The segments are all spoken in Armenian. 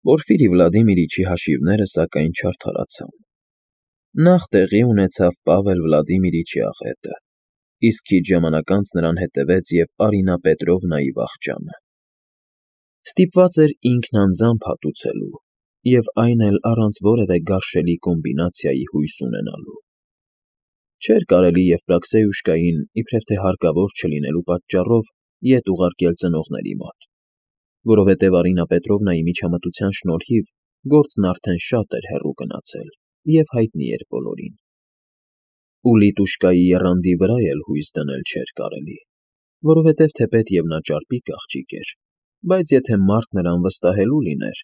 Պորֆիրի Վլադիմիրիչի հաշիվները, սակայն, չարդարացան. նախ տեղի ունեցավ Պավել Վլադիմիրիչի աղետը, իսկ քիչ ժամանակ անց նրան հետևեց և Արինա Պետրովնայի վախճանը. ստիպված էր ինքն անձամբ հատուցելու և այն էլ առանց որևէ գարշելի կոմբինացիայի հույս ունենալու. չէր կարելի Եվպրաքսեյուշկային, իբրև թե հարկավոր չլինելու պատճառով, ետ ուղարկել ծնողների մոտ, որովհետև Արինա Պետրովնայի միջամտության շնորհիվ գործն արդեն շատ էր հեռու գնացել և հայտնի էր բոլորին. ու Լիտուշկայի եռանդի վրա էլ հույս դնել չէր կարելի, որովհետև թեպետ և նա ճարպիկ աղջիկ էր, բայց եթե մարդ նրան վստահելու լիներ,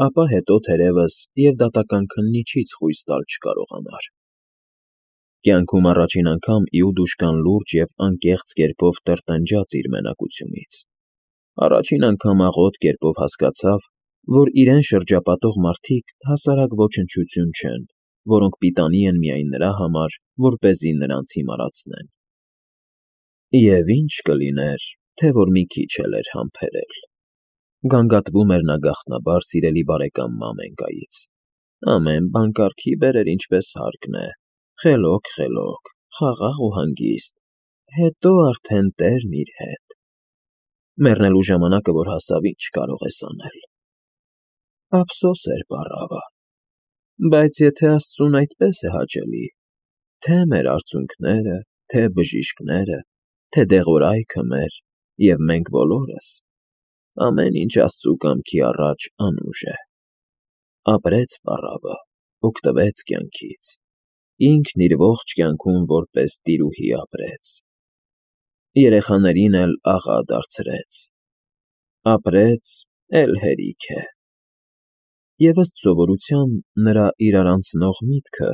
ապա հետո, թերևս, և դատական քննիչից խույս տալ չկարողանար. կյանքում առաջին անգամ Իուդուշկան լուրջ և անկեղծ կերպով տրտնջաց իր մենակությունից, առաջին անգամ աղոտ կերպով հասկացավ, որ իրեն շրջապատող մարդիկ հասարակ ոչնչություն չեն, որոնք պիտանի են միայն նրա համար, որպեսզի նրանց հիմարացնեն. և ինչ կլիներ, թե որ մի քիչ էլ էր համբերել. գանգատվում էր նա գաղտնաբար սիրելի բարեկամ Մամենկայից. ամեն բան կարգի բերեր ինչպես հարկն է, խելոք, խաղաղ ու հանգիստ, հետո արդեն տերն իր հետ, մեռնելու ժամանակը որ հասավ, ինչ կարող ես անել. ափսոս էր բառավը, բայց եթե Աստծուն այդպես է հաճելի, թե մեր արցունքները, թե բժիշկները, թե դեղորայքը մեր, և մենք բոլորս, ամեն ինչ Աստծու կամքի առաջ անուժ է. ապրեց բառավը, օգտվեց կյանքից, ինքն իր ողջ կյանքում որպես տիրուհի ապրեց, երեխաներին էլ աղա դարձրեց, ապրեց, էլ հերիք է. և ըստ սովորության նրա իրար անցնող միտքը,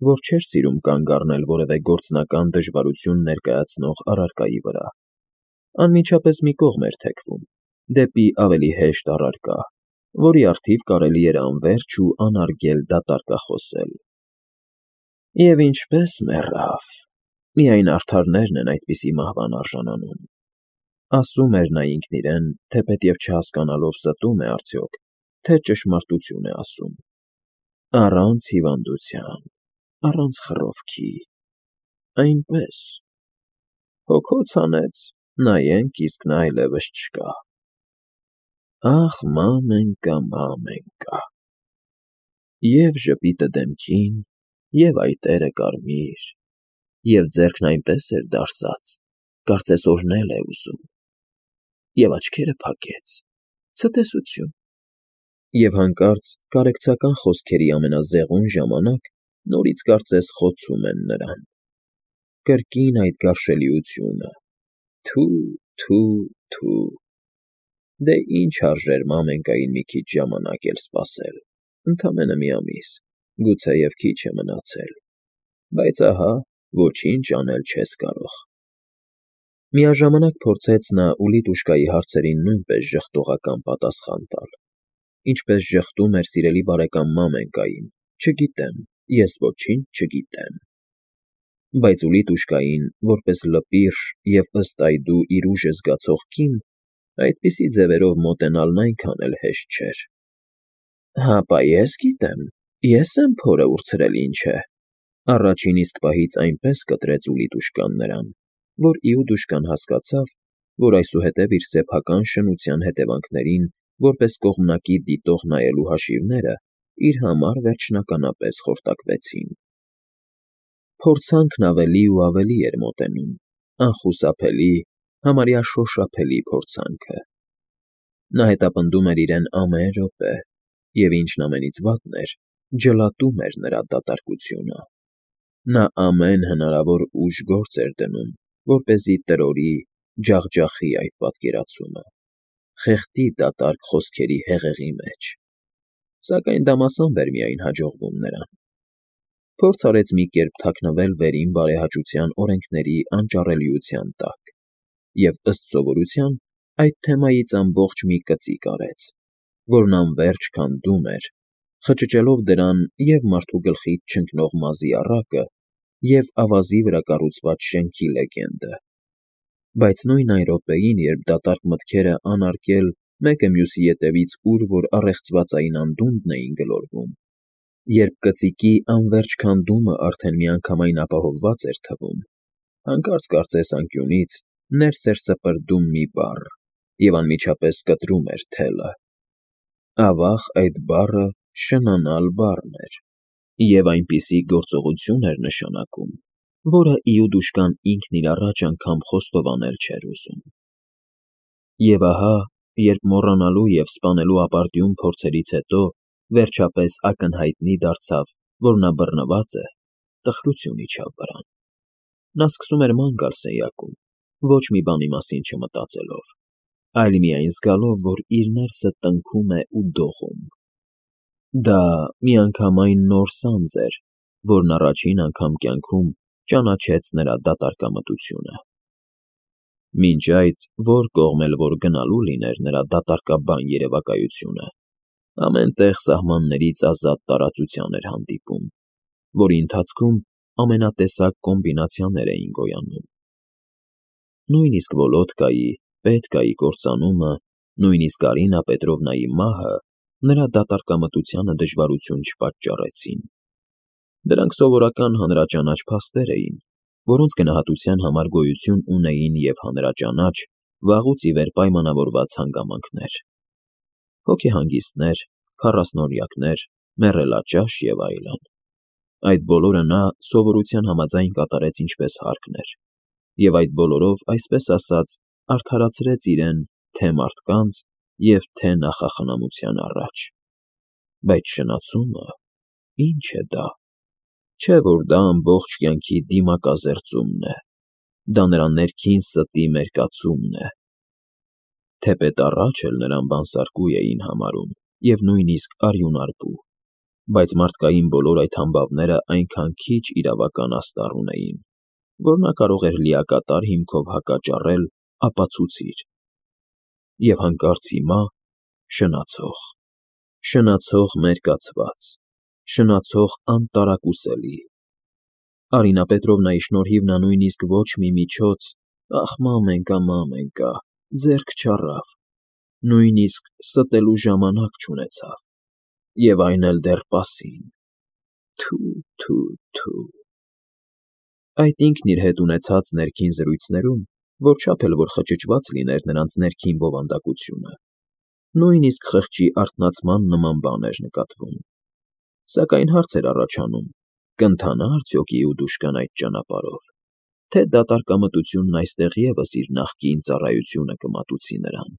որ չէր սիրում կանգ առնել որևէ գործնական դժվարություն ներկայացնող առարկայի վրա, անմիջապես մի կողմ էր թեքվում, դեպի ավելի հեշտ առարկա, որի առթիվ կարելի էր անվերջ ու անարգել դատարկախոսել. և ինչպես մեռավ, միայն արդարներն են այդպիսի մահվան արժանանում, ասում էր նա ինքն իրեն, թեպետև չհասկանալով ստում է արդյոք, թե ճշմարտություն է ասում, առանց հիվանդության, առանց խռովքի, այնպես, հոգոց հանեց, նայենք, իսկ նա այլևս չկա. ախ, Մամենկա, Մամենկա, և ժպիտը դեմքին, և այտերը կարմիր, և ձեռքն այնպես էր դարսած, կարծես օրհնել է ուզում, և աչքերը փակեց, ցտեսություն, և հանկարծ կարեկցական խոսքերի ամենազեղուն ժամանակ նորից կարծես խոցում են նրան. կրկին այդ գարշելիությունը. թու, դե ինչ արժեր Մամենկային մի քիչ ժամանակ էլ սպասել, ընդամենը մի ամիս, գուցեև քիչ է մնացել, բայց ահա, ոչինչ անել չես կարող. միաժամանակ փորձեց նա Ուլիտուշկայի հարցերին նույնպես ժխտողական պատասխան տալ, ինչպես ժխտում էր սիրելի բարեկամ Մամենկային, չգիտեմ, ես ոչինչ չգիտեմ. բայց Ուլիտուշկային, որպես լպիրշ և ըստ այդու իր ուժը զգացող կին, այդպիսի ձևերով մոտենալն այնքան էլ հեշտ չէր. հապա ես գիտեմ, ես եմ փորը ուրցրել ինչ է, առաջին իսկ պահից այնպես կտրեց Ուլիտուշկան նրան, որ Իուդուշկան հասկացավ, որ այսուհետև իր սեփական շնության հետևանքներին որպես կողմնակի դիտող նայելու հաշիվները իր համար վերջնականապես խորտակվեցին. փորձանքն ավելի ու ավելի էր մոտենում, անխուսափելի, համարյա շոշափելի փորձանքը. նա հետապնդում էր իրեն ամեն րոպե, և ինչն ամենից վատն էր, ջլատում էր նրա դատարկությունը. նա ամեն հնարավոր ուժ գործ էր դնում, որպեսզի տրորի, ջախջախի այդ պատկերացումը, խեղդի դատարկ խոսքերի հեղեղի մեջ, սակայն դա մասամբ էր միայն հաջողվում նրան. փորձ արեց մի կերպ թաքնվել վերին բարեհաճության օրենքների անճառելիության տակ և ըստ սովորության այդ թեմայից ամբողջ մի կծիկ արեց, որն անվերջ քանդում էր, խճճելով դրան և մարդու գլխից չընկնող մազի առակը, և ավազի վրա կառուցված շենքի լեգենդը, բայց նույն այն րոպեին, երբ դատարկ մտքերը անարգել մեկը մյուսի ետևից ուր որ առեղծվածային անդունդն էին գլորվում, երբ կծիկի անվերջ քանդումը արդեն միանգամայն ապահովված էր թվում, հանկարծ կարծես անկյունից ներս էր սպրդում մի բառ և անմիջապես կտրում էր թելը։ Ավաղ այդ բառը շնանալ բառն էր և այնպիսի գործողություն էր նշանակում, որը Իուդուշկան ինքն իր առաջ անգամ խոստովանել չէր ուզում։ Եվ ահա, երբ մոռանալու և սպանելու ապարդյուն փորձերից հետո վերջապես ակնհայտնի դարձավ, որ նա բռնված է, տխրություն իջավ վրան։ Նա սկսում էր ման գալ սենյակում, ոչ մի բանի մասին չմտածելով, այլ միայն զգալով, որ իր ներսը տնքում է ու դողում։ Դա միանգամայն նոր սանձ էր, որն առաջին անգամ կյանքում ճանաչեց նրա դատարկամտությունը։ Մինչ այդ, որ կողմ էլ որ գնալու լիներ նրա դատարկաբան երևակայությունը, ամեն տեղ սահմաններից ազատ տարածության էր հանդիպում, որի ընթացքում ամենատեսակ կոմբինացիաներ էին գոյանում։ Նույնիսկ Վոլոդկայի, Պետկայի կործանումը, նույնիսկ Արինա Պետրովնայի մահը նրա դատարկամտությանը դժվարություն չպատճառեցին։ Դրանք սովորական հանրաճանաչ փաստեր էին, որոնց գնահատության համար գոյություն ունեին և հանրաճանաչ, վաղուց ի վեր պայմանավորված հանգամանքներ. հոգեհանգիստներ, քառասնօրյակներ, մեռելաճաշ և այլն։ Այդ բոլորը նա սովորության համաձայն կատարեց ինչպես հարկն էր, և այդ բոլորով, այսպես ասած, արդարացրեց իրեն թե՛ մարդկանց և թե՛ նախախնամության առաջ։ Բայց շնացումը… ի՞նչ է դա։ Չէ՞ որ դա ամբողջ կյանքի դիմակազերծումն է, դա նրա ներքին ստի մերկացումն է։ Թեպետ առաջ էլ նրան բանսարկու էին համարում և նույնիսկ արյունարբու, բայց մարդկային բոլոր այդ համբավները այնքան քիչ իրավական աստառ ունեին, որ նա կարող էր լիակատար հիմքով հակաճառել ապացուցիչ։ Եվ հանկարծ հիմա… շնացող… շնացող մերկացված… շնացող անտարակուսելի… Արինա Պետրովնայի շնորհիվ նա նույնիսկ ոչ մի միջոց… ախ, մամենկա, ձեռք չառավ, նույնիսկ ստելու ժամանակ չունեցավ, և այն էլ դեռ պասին… Թո՛… Այդ ինքն իր հետ ունեցած ներքին զրույցներում, որչափ էլ որ խճճված լիներ նրանց ներքին բովանդակությունը, նույնիսկ խղճի արթնացման նման բան էր նկատվում։ Սակայն հարց էր առաջանում. կընթանա՞ արդյոք Իուդուշկան այդ ճանապարհով, թե դատարկամտությունն այստեղ ևս իր նախկին ծառայությունը կմատուցի նրան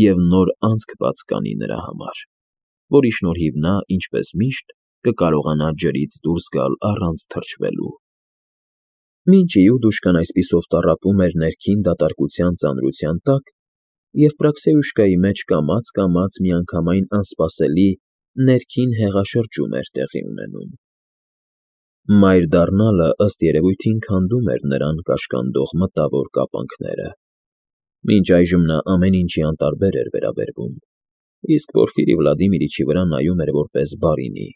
և նոր անցք բաց կանի նրա համար, որի շնորհիվ նա, ինչպես միշտ, կկարողանա ջրից դուրս գալ առանց թրջվելու։ Մինչ Իուդուշկան այսպիսով տառապում էր ներքին դատարկության ծանրության տակ, և Պրաքսեուշկայի մեջ կամաց միանգամայն անսպասելի ներքին հեղաշրջում էր տեղի ունենում։ Մայր դառնալը, ըստ երևույթին, քանդում էր նրան կաշկանդող մտավոր կապանքները։ Մինչ այժմ նա ամեն ինչի անտարբեր էր վերաբերվում, իսկ Պորֆիրի Վլադիմիրիչի վրա նայում էր որպես բարինի,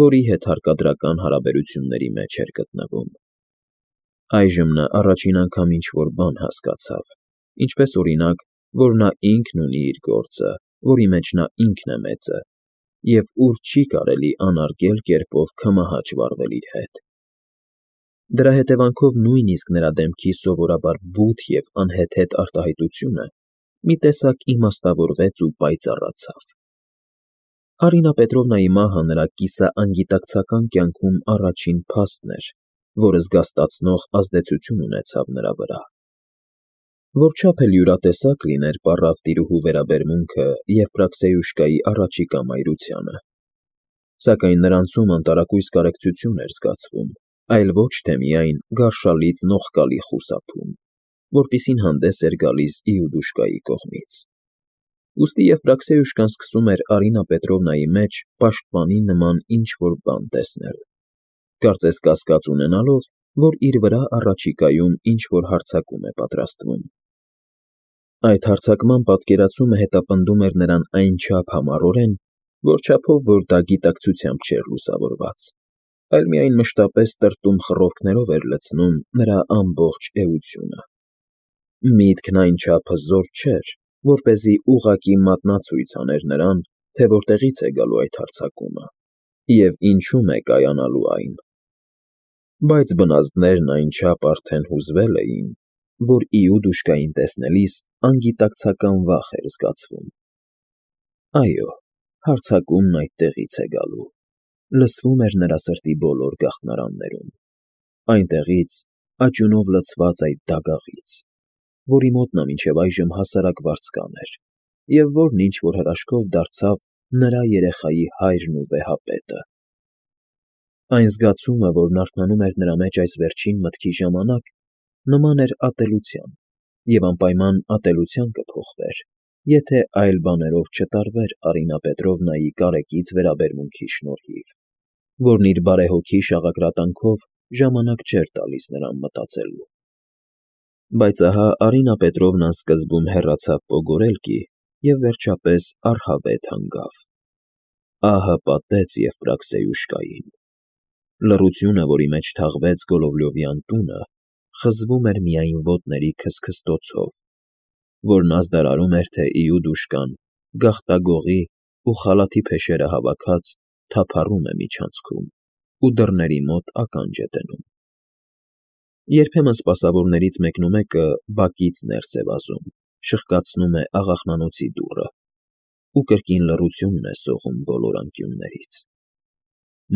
որի հետ հարկադրական հարաբերությունների մեջ էր գտնվում։ Այժմ նա առաջին անգամ ինչ֊որ բան հասկացավ, ինչպես օրինակ, որ նա ինքն ունի իր գործը, որի մեջ նա ինքն է մեծը, և ուր չի կարելի անարգել կերպով քմահաճ վարվել իր հետ։ Դրա հետևանքով նույնիսկ նրա դեմքի սովորաբար բութ և անհեթեթ արտահայտությունը մի տեսակ իմաստավորվեց ու պայծառացավ։ Արինա Պետրովնայի մահը նրա կիսաանգիտակցական կյանքում առաջին փաստն էր, որը զգաստացնող ազդեցություն ունեցավ նրա վրա։ Որչափ էլ յուրատեսակ լիներ պառավ տիրուհու վերաբերմունքը և Պրաքսեուշկայի առաջիկա մայրությանը, սակայն նրանցում անտարակույս կարեկցություն էր զգացվում, այլ ոչ թե միայն գարշալից նողկալի խուսափում, որպիսին հանդես էր գալիս Իուդուշկայի կողմից։ Ուստի և Պրաքսեուշկան սկսում էր Արինա Պետրովնայի մեջ պաշտպանի նման ինչ֊որ բան տեսնել, կարծես կասկած ունենալով, որ իր վրա առաջիկայում ինչ֊որ հարձակում է պատրաստվում։ Այդ հարձակման պատկերացումը հետապնդում էր նրան այնչափ համառորեն, որչափով որ դա գիտակցությամբ չէր լուսավորված, այլ միայն մշտապես տրտում խռովքներով էր լցնում նրա ամբողջ էությունը։ Միտքն այնչափ հզոր չէր, որպեսզի ուղղակի մատնացույց աներ նրան, թե որտեղից է գալու այդ հարձակումը և ինչում է կայանալու այն։ Բայց բնազդներն այնչափ արդեն հուզվել էին, որ Իուդուշկային տեսնելիս անգիտակցական վախ էր զգացվում։ Այո, հարձակումն այդտեղից է գալու, լսվում էր նրա սրտի բոլոր գաղտնարաններում, այնտեղից, աճյունով լցված այդ դագաղից, որի մոտ նա մինչև այժմ հասարակ վարձկան էր, և որն ինչ-որ հրաշքով դարձավ նրա երեխայի հայրն ու վեհապետը։ Այն զգացումը, որն արթնանում էր նրա մեջ այս վերջին մտքի ժամանակ, նման էր ատելության, և անպայման ատելության կփոխվեր, եթե այլ բաներով չտարվեր Արինա Պետրովնայի կարեկից վերաբերմունքի շնորհիվ, որն իր բարեհոգի շաղակրատանքով ժամանակ չէր տալիս նրան մտածելու։ Բայց ահա Արինա Պետրովնան սկզբում հեռացավ Պոգորելկի և վերջապես առհավետ հանգավ։ Ահը պատեց Եվպրաքսեյուշկային։ Լռությունը, որի մեջ թաղվեց Գոլովլյովյան տունը, խզվում էր միայն ոտների քսքստոցով, որն ազդարարում էր, թե Իուդուշկան, գաղտագողի ու խալաթի փեշերը հավաքած, թափառում է միջանցքում ու դռների մոտ ականջ է դնում։ Երբեմն սպասավորներից մեկնումեկը բակից ներս է վազում, շխկացնում է աղախնանոցի դուռը ու կրկին լռությունն է սողում բոլոր անկյուններից։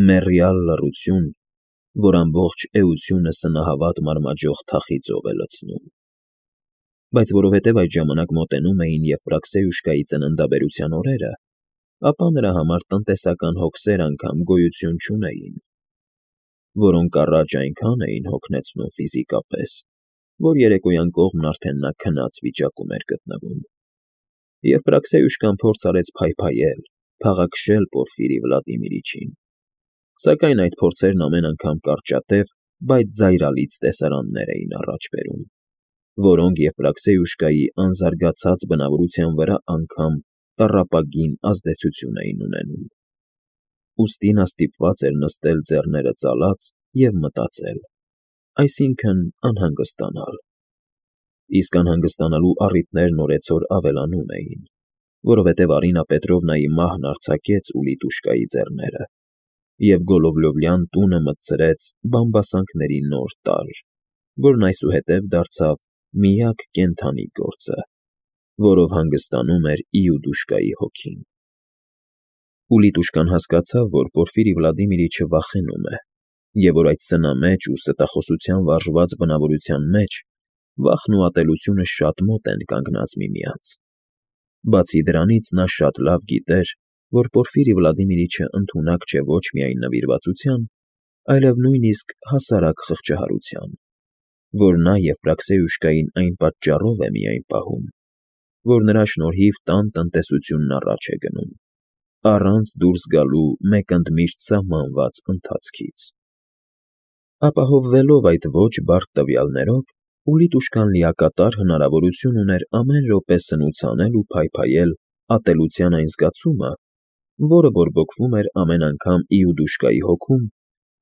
Մեռյալ լռություն, որ ամբողջ էությունը սնահավատ մարմաջող թախի ծով է լցնում։ Բայց որովհետև այդ ժամանակ մոտենում էին Եվպրաքսեյուշկայի ծննդաբերության օրերը, ապա նրա համար տնտեսական հոգսեր անգամ գոյություն չունեին, որոնք առաջ այնքան էին հոգնեցնում ֆիզիկապես, որ երեկոյան կողմն արդեն նա քնած վիճակում էր գտնվում։ Եվպրաքսեյուշկան փորձ արեց փայփայել, փաղաքշել Պորֆիրի Վլադիմիրիչին, սակայն այդ փորձերն ամեն անգամ կարճատև, բայց զայրալից տեսարաններ էին առաջ բերում, որոնք Եվպրաքսեյուշկայի անզարգացած բնավորության վրա անգամ տառապագին ազդեցություն էին ունենում։ Ուստի նա ստիպված էր նստել ձեռները ծալած և մտածել, այսինքն անհանգստանալ։ Իսկ անհանգստանալու առիթներն օրեցօր ավելանում էին, որովհետև Արինա Պետրովնայի մահն արձակեց Ուլիտուշկայի ձեռները, և Գոլովլյովյան տունը մտցրեց բամբասանքների նոր տարր, որն այսուհետև դարձավ միակ կենդանի գործը, որով հանգստանում էր Իուդուշկայի հոգին։ Ուլիտուշկան հասկացավ, որ Պորֆիրի Վլադիմիրիչը վախենում է, և որ այդ սնամեջ ու ստախոսության վարժված բնավորության մեջ վախն ու ատելությունը շատ մոտ են կանգնած միմյանց։ Բացի դրանից նա շատ լավ գիտեր, որ Պորֆիրի Վլադիմիրիչը ընդունակ չէ ոչ միայն նվիրվածության, այլև նույնիսկ հասարակ խղճահարության, որ նա Եվպրաքսեյուշկային այն պատճառով է միայն պահում, որ նրա շնորհիվ տան տնտեսությունն առաջ է գնում, առանց դուրս գալու մեկ ընդմիշտ սահմանված ընթացքից։ Ապահովվելով այդ ոչ բարդ տվյալներով, Ուլիտուշկան լիակատար հնարավորություն ուներ ամեն րոպե սնուց անել ու փայփայել ատելության այն զգացումը, որը բորբոքվում էր ամեն անգամ Իուդուշկայի հոգում,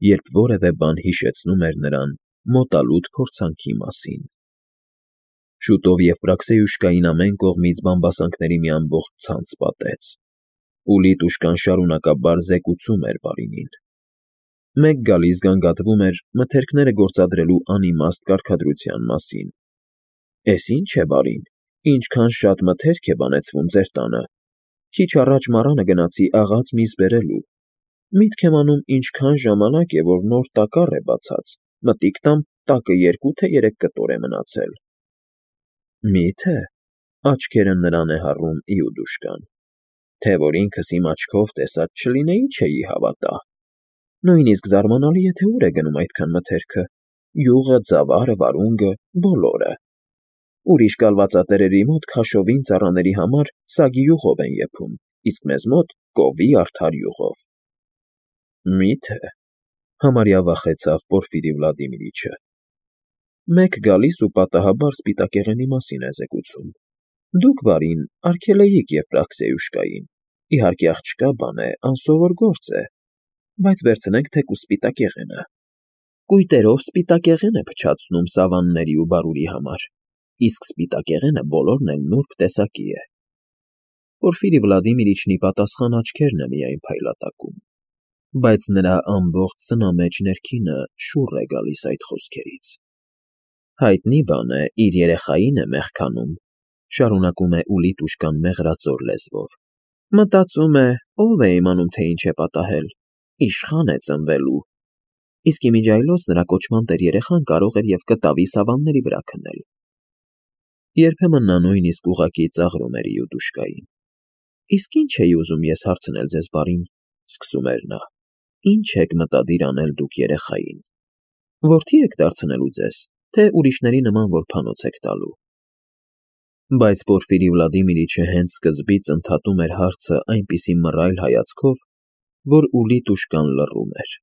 երբ որևէ բան հիշեցնում էր նրան մոտալուտ փորձանքի մասին։ Շուտով Եվպրաքսեյուշկային ամեն կողմից բամբասանքների մի ամբողջ ցանց պատեց։ Ուլիտուշկան շարունակաբար զեկուցում էր բարինին։ Մեկ գալիս գանգատվում էր մթերքները գործադրելու անիմաստ կարգադրության մասին։ «Էս ի՞նչ է, բարին, ինչքան շատ մթերք է բանեցվում ձեր տանը։ Քիչ առաջ մառանը գնացի աղաց միս բերելու։ Միտք եմ անում ինչքան ժամանակ է, որ նոր տակառ է բացած, մտիկ տամ տակը 2 թե 3 կտոր է մնացել»։ Մի՞թե, աչքերը նրան է հառում Իուդուշկան, թե որ ինքս իմ աչքով տեսած չլինեի, չէի հավատա։ Նույնիսկ զարմանալի է, թե ուր է գնում այդքան մթերքը, յուղը, ծավարը, վարունգը, բոլորը։ Ուրիշ կալվածատերերի մոտ քաշովին ծառաների համար սագի յուղով են եփում, իսկ մեզ մոտ կովի արդար յուղով։ Մի՞թե, համարյա վախեցավ Պորֆիրի Վլադիմիրիչը։ Մեկ գալիս ու պատահաբար սպիտակեղենի մասին է զեկուցում։ Դուք, բարին, արգելեիք Եվպրաքսեյուշկային, իհարկե աղջկա բան է, անսովոր գործ է, բայց վերցնենք թեկուզ սպիտակեղենը։ Կույտերով սպիտակեղեն է փչացնում սավանների ու բարուրի համար։ իսկ սպիտակեղենը բոլորն էլ նուրբ տեսակի է։ Պորֆիրի Վլադիմիրիչն ի պատասխան աչքերն է միայն փայլատակում, բայց նրա ամբողջ սնամեջ ներքինը շուռ է գալիս այդ խոսքերից։ Հայտնի բան է, իր երեխային է մեղքանում, շարունակում է Ուլիտուշկան մեղրածոր լեզվով։ Մտածում է, ով է իմանում, թե ինչ է պատահել, իշխան է ծնվելու, իսկ իմիջիայլոց նրա կոչման տեր երեխան կարող էր և կտավի սավանների վրա քնել։ Երբեմն նա նույնիսկ ուղղակի ծաղրում էր Իուդուշկային։ Իսկ ինչ էի ուզում ես հարցնել ձեզ, բարին, սկսում էր նա, ինչ եք մտադիր անել դուք երեխային, որդի եք դարձնելու ձեզ, թե ուրիշների նման որբանոց եք տալու։ Բայց Պորֆիրի Վլադիմիրիչը հենց սկզբից ընդհատում էր հարցը այնպիսի մռայլ հայացքով, որ Ուլիտուշկան լռում էր։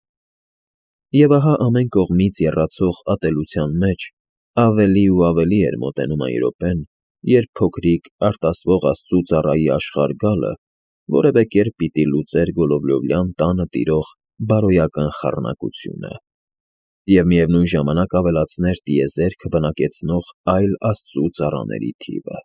Եվ ահա ամեն կողմից եռացող ատելության մեջ ավելի ու ավելի էր մոտենում այն րոպեն, երբ փոքրիկ արտասվող աստծու ծառայի աշխարհ գալը որևէ կերպ պիտի լուծեր Գոլովլյովյան տանը տիրող բարոյական խառնակությունը և միևնույն ժամանակ ավելացներ տիեզերքը բնակեցնող այլ աստծու ծառաների թիվը։